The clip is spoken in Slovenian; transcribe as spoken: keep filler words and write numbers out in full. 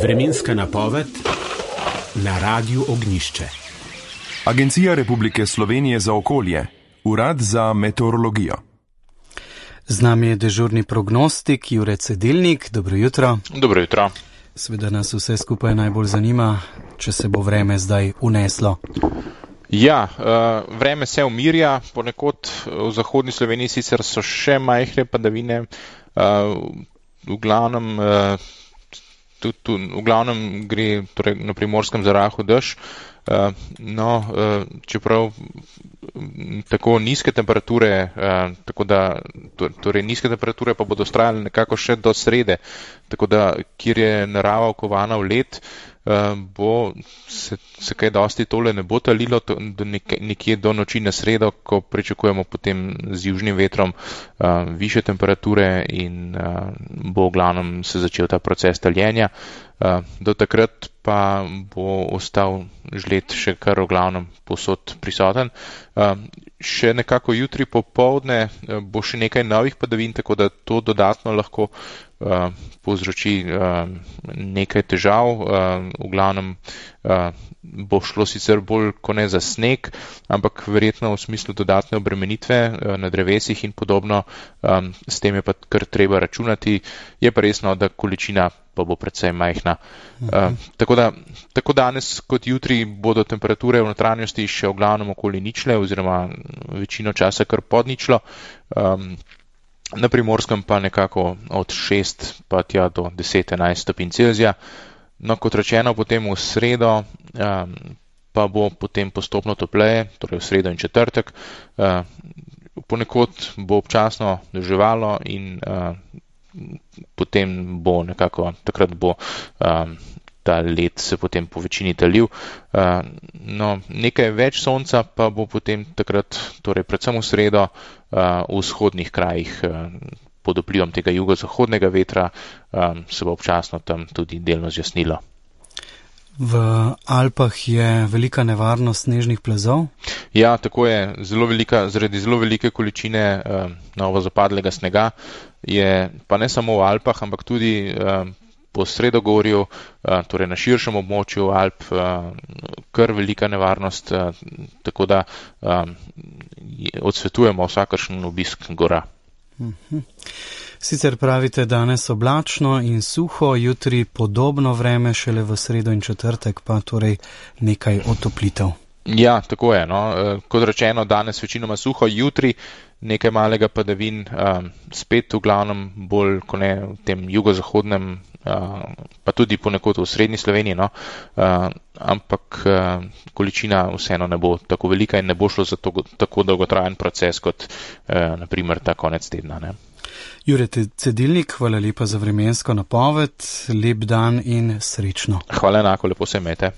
Vremenska napoved na Radiu Ognjišče. Agencija Republike Slovenije za okolje, Urad za meteorologijo. Z nami je dežurni prognostik Jure Cedilnik. Dobro jutro. Dobro jutro. Seveda nas vse skupaj najbolj zanima, če se bo vreme zdaj uneslo. Ja, uh, vreme se umirja, ponekod v zahodni Sloveniji sicer so še majhne padavine, uh, v glavnem, uh, tudi, tudi, v glavnem gre torej, na Primorskem za rahel dež. Uh, no, uh, čeprav tako nizke temperature, uh, tako da, torej nizke temperature pa bodo vztrajale nekako še do srede, tako da, kjer je narava okovana v led, uh, bo se, se kaj dosti tole ne bo talilo to, do nek, nekje do noči na sredo, ko pričakujemo potem z južnim vetrom uh, više temperature in uh, bo v glavnem se začel ta proces taljenja. Uh, do takrat pa bo ostal žled še kar v glavnem povsod prisoten. Uh, še nekako jutri popoldne uh, bo še nekaj novih padavin, tako da to dodatno lahko uh, povzroči uh, nekaj težav. Uh, v glavnem uh, bo šlo sicer bolj kot ne za sneg, ampak verjetno v smislu dodatne obremenitve uh, na drevesih in podobno. Um, s tem je pa kar treba računati. Je pa resno, da količina pa bo predvsej majhna. Uh, tako da, tako danes kot jutri bodo temperature v notranjosti še v glavnem okoli ničle oziroma večino časa kar pod ničlo. Um, na Primorskem pa nekako od šest pa tja do deset enajst stopinj Celzija. No, kot rečeno, potem v sredo um, pa bo potem postopno topleje, torej v sredo in četrtek. Uh, ponekod bo občasno deževalo in uh, potem bo nekako, takrat bo um, ta led se potem po večini talil. Uh, no, nekaj več sonca pa bo potem takrat, torej predvsem v sredo, uh, v vzhodnih krajih uh, pod vplivom tega jugozahodnega vetra um, se bo občasno tam tudi delno zjasnilo. V Alpah je velika nevarnost snežnih plazov? Ja, tako je. Zelo velika, zaradi zelo velike količine uh, novo zapadlega snega je pa ne samo v Alpah, ampak tudi uh, po Sredogorju, uh, torej na širšem območju Alp, uh, kar velika nevarnost, uh, tako da uh, odsvetujemo vsakršen obisk gora. Mhm. Sicer pravite danes oblačno in suho, jutri podobno vreme, šele v sredo in četrtek pa torej nekaj otoplitev. Ja, tako je. No. Kot rečeno, danes večinoma suho, jutri nekaj malega padavin, um, spet v glavnem bolj kot ne v tem jugozahodnem, uh, pa tudi ponekod v srednji Sloveniji, no. uh, ampak uh, količina vseeno ne bo tako velika in ne bo šlo za to, tako dolgotrajen proces kot uh, naprimer ta konec tedna. Ne. Jure Cedilnik, hvala lepa za vremensko napoved, lep dan in srečno. Hvala enako, lepo se imejte.